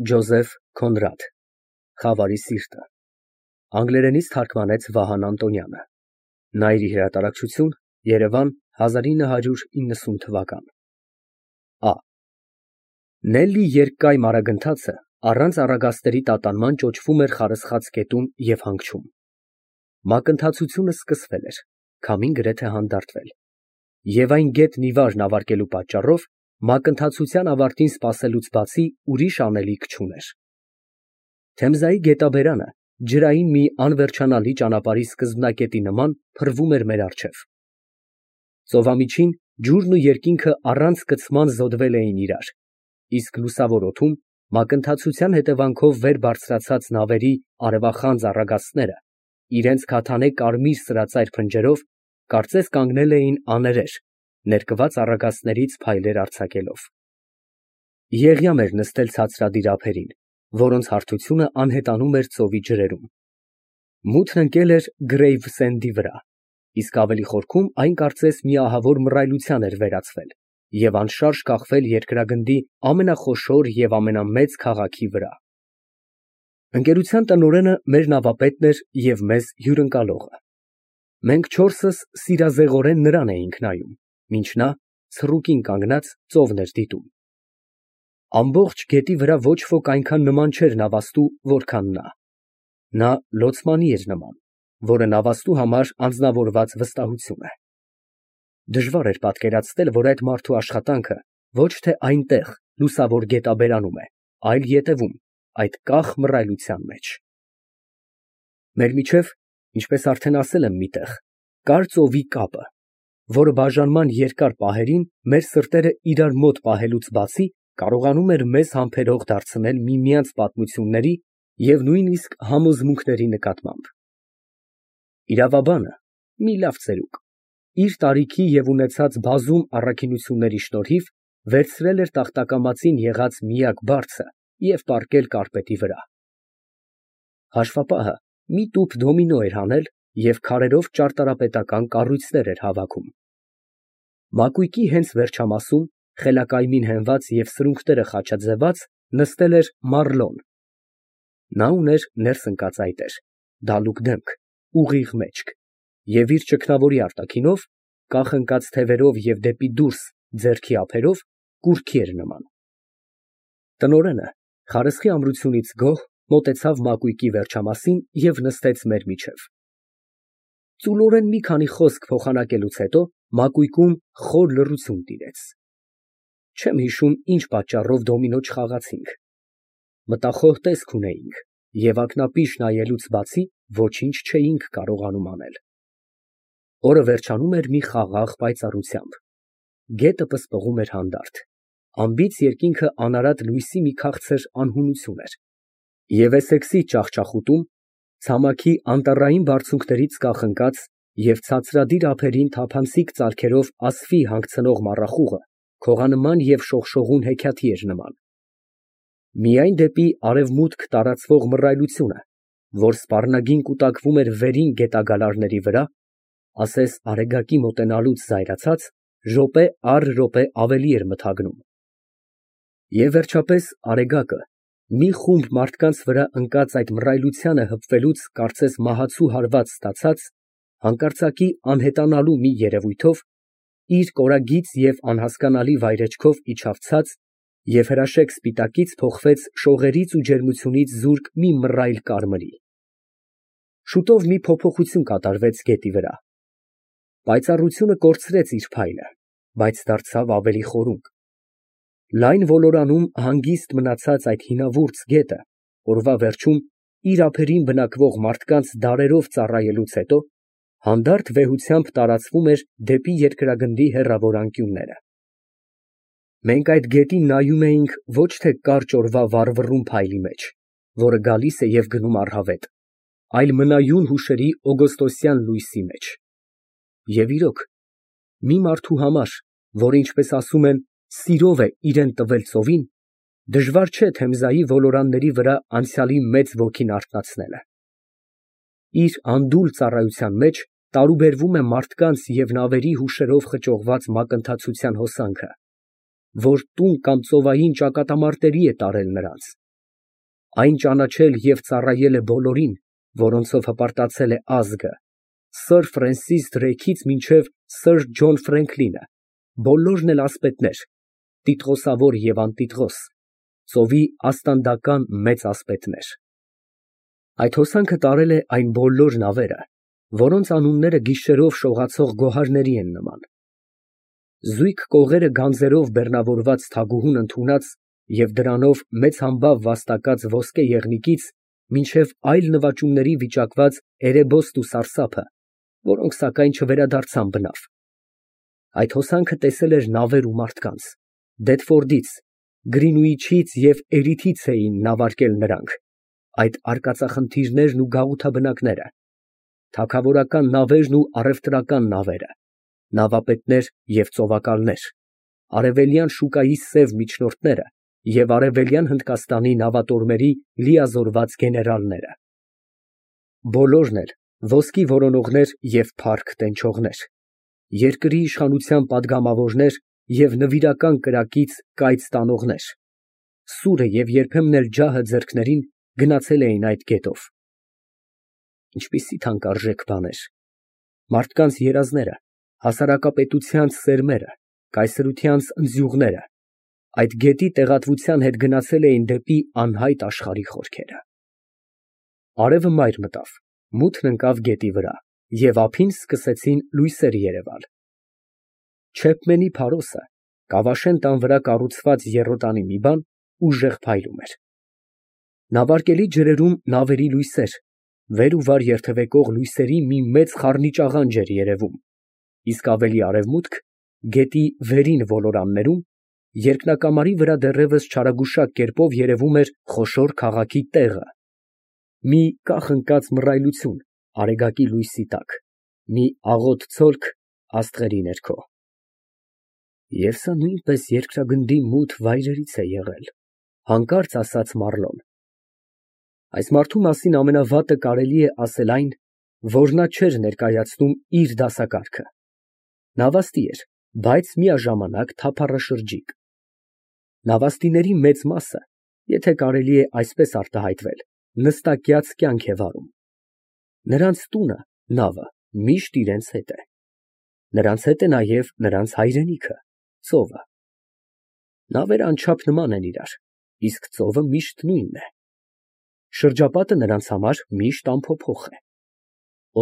Ջոզեֆ Քոնրադ Խավարի սիրտը Անգլերենից թարգմանեց Վահան Անտոնյանը Նայիրի հրատարակչություն Երևան 1990 Ա Նելլի երկկայմ արագընթացը առանց առագաստերի տատանման ճոճվում էր խարսխած կետում և հանգչում մակընթացությունը սկսվել էր քամին գրեթե հանդարտվել և այն գետն ի վարն ավարտելու պատճառով մակընթացության ավարտին սպասելուց բացի ուրիշ անելիք չուներ Թեմզայի գետաբերանը ջրային մի անվերջանալի ճանապարհի սկզբնակետի նման փռվում էր մեր առջև ծովամիջին ջուրն ու երկինքը առանց կցման զոդվել էին իրար իսկ լուսավոր օդում մակընթացության հետևանքով վեր բարձրացած նավերի արևախանձ առագաստները իրենց քաթանե կարմիր սրածայր փնջերով կարծես կանգնել էին աներեր ներկված առագաստներից փայլեր արձակելով Եղյամ էր նստել ցածրադիր ափերին որոնց հարթությունը անհետանում էր ծովի ջրերում մութն ընկել էր Գրեյվսենդի վրա իսկ ավելի խորքում այն կարծես մի ահավոր մռայլության էր վերածվել և անշարժ կախվել երկրագնդի ամենախոշոր և ամենամեծ քաղաքի վրա Ընկերության տնօրենը մեր նավապետն էր և մեզ հյուրընկալողը Մենք չորսս սիրազեղորեն նրան էինք նայում մինչ նա ցռուկին կանգնած ծովն էր դիտում Ամբողջ գետի վրա ոչ ոք այնքան նման չէր նավաստու որքան նա լոցմանի էր նման որը նավաստու համար անձնավորված վստահություն է Դժվար էր պատկերացնել որ այդ մարդու աշխատանքը ոչ թե այնտեղ լուսավոր գետաբերանում է այլ ետևում այդ կախ մռայլության մեջ Մեր միջև ինչպես արդեն ասել եմ մի տեղ կար ծովի կապը որը բաժանման երկար պահերին մեր սրտերը իրար մոտ պահելուց բացի կարողանում էր մեզ համբերող դարձնել միմյանց պատմությունների և նույնիսկ համոզմունքների նկատմամբ Իրավաբանը մի լավ ծերուկ իր տարիքի և ունեցած բազում առաքինությունների շնորհիվ վերցրել էր տախտակամածին եղած միակ բարձը և պառկել կառպետի վրա Հաշվապահը մի տուփ դոմինո էր հանել և քարերով ճարտարապետական կառույցներ էր հավաքում Մակույկի հենց վերջամասում խելակայմին հենված և սրունքները խաչաձևած նստել էր Մարլոն Նա ուներ ներս ընկած այտեր, դալուկ դեմք, ուղիղ մեջք և իր ճգնավորի արտաքինով, կախ ընկած թևերով և դեպի դուրս ձեռքի ափերով, կուռքի էր նման Տնօրենը խարսխի ամրությունից գոհ մոտեցավ մակույկի վերջամասին և նստեց մեր միջև Ծուլորեն մի քանի խոսք փոխանակելուց հետո մակույկում խոր լռություն տիրեց Չեմ հիշում ինչ պատճառով դոմինո չխաղացինք Մտախոհ տեսք ունեինք և ակնապիշ նայելուց բացի ոչինչ չէինք կարողանում անել Օրը վերջանում էր մի խաղաղ պայծառությամբ Գետը պսպղում էր հանդարտ Անբիծ երկինքը անարատ լույսի մի քաղցր անհունություն էր Եվ Էսեքսի ճախճախուտում ցամաքի անտառային բարձունքներից կախ ընկած և ցածրադիր ափերին թափանցիկ ծալքերով ասֆի հանգցնող մառախուղը քողանման և շողշողուն հեքիաթի էր նման Միայն դեպի արևմուտք տարածվող մռայլությունը, որ սպառնագին կուտակվում էր վերին գետագալարների վրա, ասես արեգակի մոտենալուց զայրացած, րոպե առ րոպե ավելի էր մթագնում Եվ վերջապես արեգակը, մի խումբ մարդկանց վրա ընկած այդ մռայլությանը հպվելուց կարծես մահացու հարված ստացած, հանկարծակի անհետանալու մի երևույթով, իր կորագիծ և անհասկանալի վայրեջքով իջավ ցած և հրաշեկ սպիտակից փոխվեց շողերից ու ջերմությունից զուրկ մի մռայլ կարմրի Շուտով մի փոփոխություն կատարվեց գետի վրա Պայծառությունը կորցրեց իր փայլը, բայց դարձավ ավելի խորունկ Լայն ոլորանում հանգիստ մնացած այդ հինավուրց գետը օրվա վերջում իր ափերին բնակվող մարդկանց դարերով ծառայելուց հետո հանդարտ վեհությամբ տարածվում էր դեպի երկրագնդի հեռավոր անկյունները Մենք այդ գետին նայում էինք ոչ թե կարճ օրվա վառվռուն փայլի մեջ, որը գալիս է և գնում առհավետ, այլ մնայուն հուշերի օգոստոսյան լույսի մեջ Եվ իրոք, մի մարդու համար, որը ինչպես ասում են, սիրով է իրան տվել ծովին, դժվար չէ Թեմզայի ոլորանների վրա անցյալի մեծ ոգին արթնացնելը Իր անդուլ ծառայության մեջ տարուբերվում է մարդկանց և նավերի հուշերով խճողված մակընթացության հոսանքը, որ տուն կամ ծովային ճակատամարտերի է տարել նրանց, այն ճանաչել և ծառայել է բոլորին, որոնցով հպարտացել է ազգը, սըր Ֆրենսիս Դրեյքից մինչև սըր Ջոն Ֆրենքլինը, բոլորն էլ ասպետներ, տիտղոսավոր և անտիտղոս, ծովի աստանդական մեծ ասպետներ։ Այդ հոսանքը տարել է այն բոլոր նավերը, որոնց անունները գիշերով շողացող գոհարների են նման։ Զույգ կողերը գանձերով բեռնավորված թագուհուն ընդունած և դրանով մեծ համբավ վաստակած ոսկե եղնիկից մինչև այլ նվաճումների վիճակված էրեբոստ ու սարսափը, որոնք սակայն չվերադարձան բնավ։ Այդ հոսանքը տեսել էր նավեր ու մարդկանց, Դեթֆորդից, Գրինուիչից և Էրիթից էին նավարկել նրանք, այդ արկածախնդիրներն ու գաղութաբնակները, թագավորական նավերն ու առևտրական նավերը, նավապետներ և ծովակալներ, արևելյան շուկայի սև միջնորդները և արևելյան Հնդկաստանի նավատորմերի լիազորված գեներալները։ Բոլորն էլ ոսկի որոնողներ և փառք տենչողներ, երկրի իշխանության պատգամավորներ և նվիրական կրակից կայծ տանողներ, սուրը և երբեմն էլ ջահը ձեռքներին գնացել էին այդ գետով։ Ինչպիսի թանկարժեք բաներ, մարդկանց երազները, հասարակապետությանց սերմերը, կայսրությանց ընձյուղները, այդ գետի տեղատվության հետ գնացել էին դեպի անհայտ աշխարհի խորքերը։ Արևը մայր մտավ, մութն ընկավ գետի վրա, և ափին սկսեցին լույսեր երևալ։ Չեպմենի փարոսը, Կավաշեն տան վրա կառուցված եռոտանի մի բան, ուժեղ փայլում էր։ Նավարկելի ջրերում նավերի լույսեր, վեր ու վար երթևեկող լույսերի մի մեծ խառնիճաղանջ էր երևում, իսկ ավելի արևմուտք, գետի վերին ոլորաններում, երկնակամարի վրա դեռևս չարագուշակ կերպով երևում էր խոշոր քաղաքի տեղը, մի կախ ընկած մռայլություն արեգակի լույսի տակ, մի աղոտ ցոլք աստղերի ներքո։ Եվ սա նույնպես երկրագնդի մութ վայրերից է եղել, հանկարծ ասաց Մառլոն։ Այս մարդու մասին ամենավատը կարելի է ասել այն, որ նա չէր ներկայացնում իր դասակարգը։ Նավաստի էր, բայց միաժամանակ թափառաշրջիկ։ Նավաստիների մեծ մասը, եթե կարելի է այսպես արտահայտվել, նստակյաց կյանք է վարում։ Նրանց տունը, նավը, միշտ իրենց հետ է։ Նրանց հետ է նաև նրանց հայրենիքը, ծովը։ Նավերը անչափ նման են իրար, իսկ ծովը միշտ նույնն է։ Շրջապատը նրանց համար միշտ անփոփոխ է։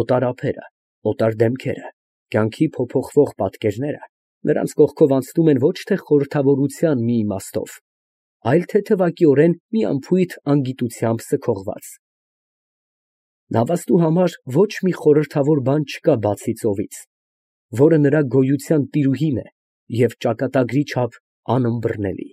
Օտար ափերը, օտար դեմքերը, կյանքի փոփոխվող պատկերները նրանց կողքով անցնում են ոչ թե խորհրդավորության մի իմաստով, այլ թեթևակիորեն մի անփույթ անգիտությամբ սքողված։ Նավաստու համար ոչ մի խորհրդավոր բան չկա բացի ծովից, որը նրա գոյության տիրուհին է և ճակատագրի չափ անըմբռնելի։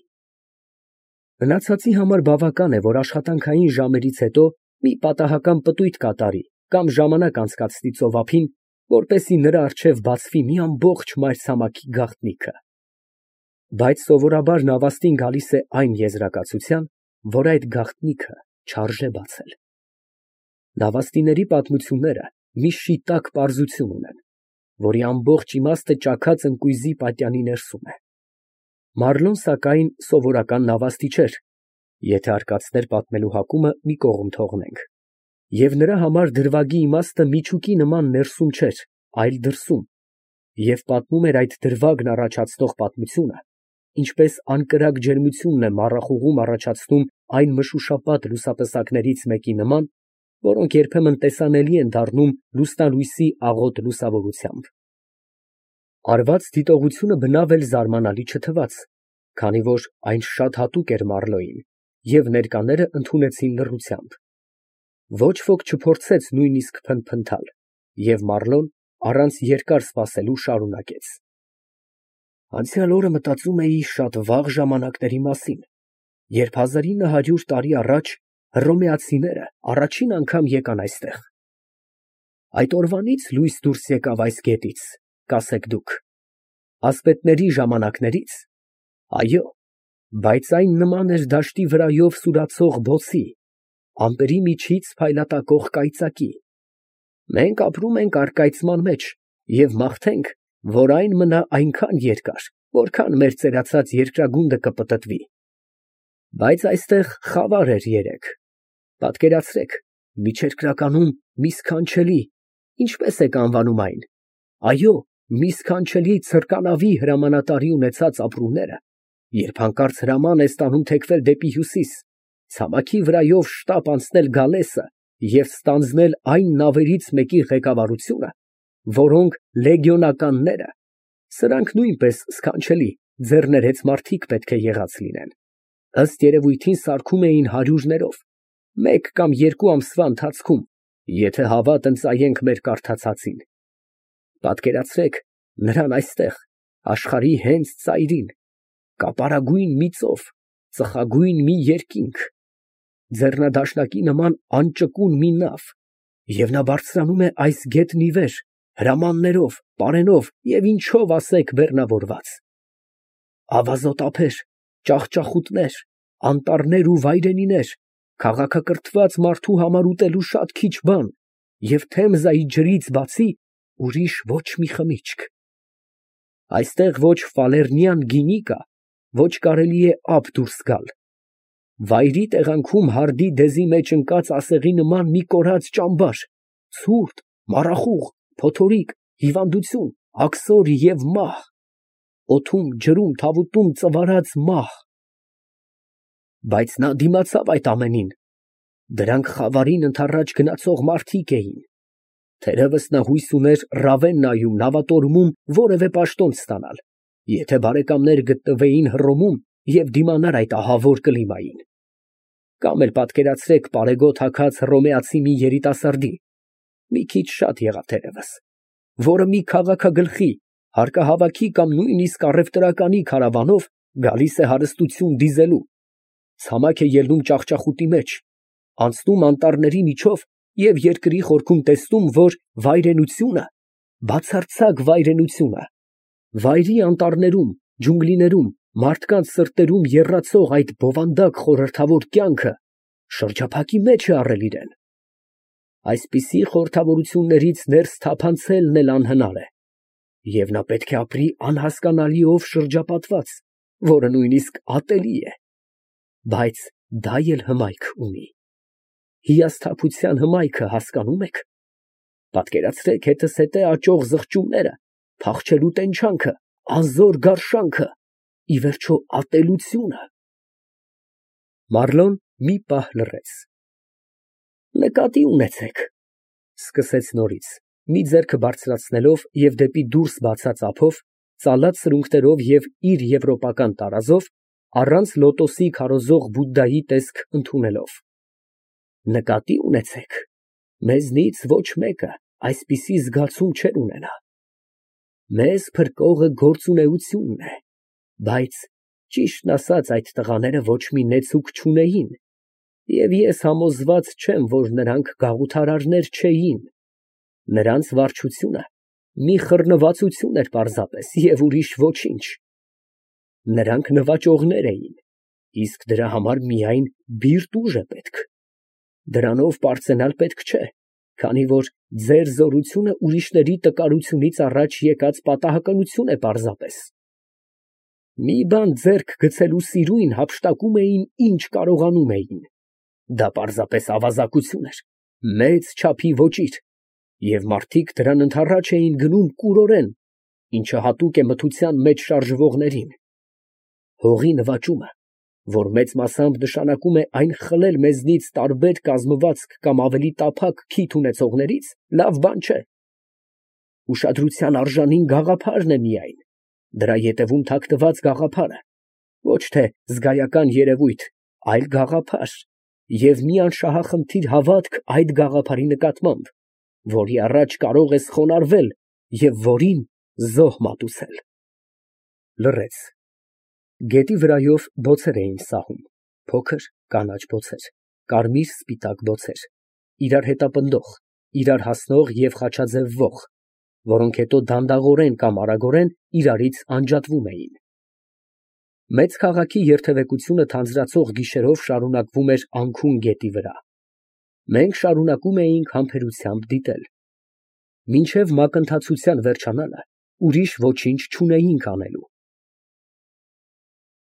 Մնացածի համար բավական է, որ աշխատանքային ժամերից հետո մի պատահական պտույտ կատարի կամ ժամանակ անցկացնի ծովափին, որպեսզի նրա առջև բացվի մի ամբողջ մայրցամաքի գաղտնիքը։ Բայց սովորաբար նավաստին գալիս է այն եզրակացության, որ այդ գաղտնիքը չարժե բացել։ Նավաստիների պատմությունները մի շիտակ պարզություն ունեն, որի ամբողջ իմաստը ճաքած ընկույզի պատյանի ներսում է։ Մառլոն, սակայն, սովորական նավաստի չէր, եթե արկածներ պատմելու հակումը մի կողմ թողնենք, և նրա համար դրվագի իմաստը միջուկի նման ներսում չէր, այլ դրսում, և պատմում էր այդ դրվագն առաջացնող պատմությունը, ինչպես անկրակ ջերմությունն է մառախուղում առաջացնում այն մշուշապատ լուսատեսակներից մեկի նման, որոնք երբեմն տեսանելի են դառնում լուսնալույսի աղոտ լուսավորությամբ։ Արված դիտողությունը բնավ էլ զարմանալի չթվաց, քանի որ այն շատ հատուկ էր Մառլոյին, և ներկաները ընդունեցին լռությամբ։ Ոչ ոք չփորձեց նույնիսկ փնթփնթալ, և Մառլոն առանց երկար սպասելու շարունակեց. Անցյալ օրը մտածում էի շատ վաղ ժամանակների մասին, երբ 1900 տարի առաջ հռոմեացիները առաջին անգամ եկան այստեղ։ Այդ օրվանից լույս դուրս եկավ այս գետից, կասեք դուք, ասպետների ժամանակների՞ց։ Այո, բայց այն նման էր դաշտի վրայով սուրացող բոցի, ամպերի միջից փայլատակող կայծակի։ Մենք ապրում ենք առկայծման մեջ և մաղթենք, որ այն մնա այնքան երկար, որքան մեր ծերացած երկրագունդը կպտտվի։ Բայց այստեղ խավար էր երեկ, Պատկերացրեք, միջերկրականում մի սքանչելի, ինչպես եք անվանում այն, այո, մի սքանչելի ցրկանավի հրամանատարի ունեցած ապրումները, երբ հանկարծ հրաման է ստանում թեքվել դեպի հյուսիս, ցամաքի վրայով շտապ անցնել գալեսը և ստանձնել այն նավերից մեկի ղեկավարությունը, որոնք լեգիոնականները, սրանք նույնպես սքանչելի, ձեռներեց մարդիկ պետք է եղած լինեն, ըստ երևույթին սարքում էին հարյուրներով, մեկ կամ երկու ամսվա ընթացքում, եթե հավատ ընծայենք մեր կարդացածին։ Պատկերացրեք նրան այստեղ, աշխարհի հենց ծայրին, կապարագույն մի ծով, ծխագույն մի երկինք, ձեռնադաշնակի նման անճկուն մի նավ, և նա բարձրանում է այս գետն ի վեր, հրամաններով, պարենով և ինչով ասեք բեռնավորված։ Ավազոտ ափեր, ճախճախուտներ, անտառներ ու վայրենիներ, քաղաքակրթված մարդու համար ուտելու շատ քիչ բան և Թեմզայի ջրից բացի ուրիշ ոչ մի խմիչք։ Այստեղ ոչ ֆալեռնյան գինի կա, ոչ կարելի է ափ դուրս գալ։ Վայրի տեղանքում հարդի դեզի մեջ ընկած ասեղի նման մի կորած ճամբար, ցուրտ, մառախուղ, փոթորիկ, հիվանդություն, աքսոր և մահ, օդում, ջրում, թավուտում ծվարած մահ։ Բայց նա դիմացավ այդ ամենին, դրանք խավարին ընդառաջ գնացող մարդիկ էին։ Թերևս նա հույս ուներ Ռավեննայում նավատորմում որևէ պաշտոն ստանալ, եթե բարեկամներ գտնվեին Հռոմում և դիմանար այդ ահավոր կլիմային։ Կամ էլ պատկերացրեք պարեգոտ հագած հռոմեացի մի երիտասարդի, մի քիչ շատ եղավ թերևս, որը մի քաղաքագլխի, հարկահավաքի կամ նույնիսկ առևտրականի քարավանով գալիս է հարստություն դիզելու, ցամաք է ելնում ճախճախուտի մեջ, անցնում անտառների միջով և երկրի խորքում տեսնում, որ վայրենությունը, բացարձակ վայրենությունը, վայրի անտառներում, ջունգլիներում, մարդկանց սրտերում եռացող այդ բովանդակ խորհրդավոր կյանքը շրջափակի մեջ է առել իրան։ Այսպիսի խորհրդավորություններից ներս թափանցելն էլ անհնար է, և նա պետք է ապրի անհասկանալիով շրջապատված, որը նույնիսկ ատելի է, բայց դա էլ հմայք ունի։ Հիասթափության հմայքը հասկանում եք։ Պատկերացրեք հետզհետե աճող զղջումները, փախչելու տենչանքը, անզոր գարշանքը, ի վերջո ատելությունը։ Մարլոն մի պահ լռեց։ Նկատի ունեցեք, սկսեց նորից, մի ձեռքը բարձրացնելով և դեպի դուրս բացած ափով, ծալած սրունքներով և իր եվրոպական տարազով, առանց լոտոսի քարոզող Բուդդայի տեսք ընդունելով։ Նկատի ունեցեք, մեզնից ոչ մեկը այսպիսի զգացում չէր ունենա։ Մեզ փրկողը գործունեությունն է, բայց ճիշտն ասած այդ տղաները ոչ մի նեցուկ չունեին, և ես համոզված չեմ, որ նրանք գաղութարարներ չէին։ Նրանց վարչությունը մի խռնվածություն էր պարզապես և ուրիշ ոչինչ։ Նրանք նվաճողներ էին, իսկ դրա համար միայն բիրտ ուժ է պետք։ Դրանով պարծենալ պետք չէ, քանի որ ձեր զորությունը ուրիշների տկարությունից առաջ եկած պատահականություն է պարզապես։ Մի բան ձեռք գցելու սիրույն հափշտակում էին ինչ կարողանում էին։ Դա պարզապես ավազակություն էր, մեծ չափի ոճիր, և մարդիկ դրան ընդառաջ էին գնում կուրորեն, ինչը հատուկ է մթության մեջ շարժվողներին։ Հողի նվաճումը, որ մեծ մասամբ նշանակում է այն խլել մեզնից տարբեր կազմվածք կամ ավելի տափակ քիթ ունեցողներից, լավ բան չէ։ Ուշադրության արժանին գաղափարն է միայն, դրա ետևում թաքնված գաղափարը, ոչ թե զգայական երևույթ, այլ գաղափար և մի անշահախնդիր հավատք այդ գաղափարի նկատմամբ, որի առաջ կարող ես խոնարհվել և որին զոհ մատուցել։ Լռեց։ Գետի վրայով բոցեր էին սահում, փոքր կանաչ բոցեր, կարմիր֊սպիտակ բոցեր, իրար հետապնդող, իրար հասնող և խաչաձևվող, որոնք հետո դանդաղորեն կամ արագորեն իրարից անջատվում էին։ Մեծ քաղաքի երթևեկությունը թանձրացող գիշերով շարունակվում էր անքուն գետի վրա։ Մենք շարունակում էինք համբերությամբ դիտել։ Մինչև մակընթացության վերջանալը ուրիշ ոչինչ չունեինք անելու։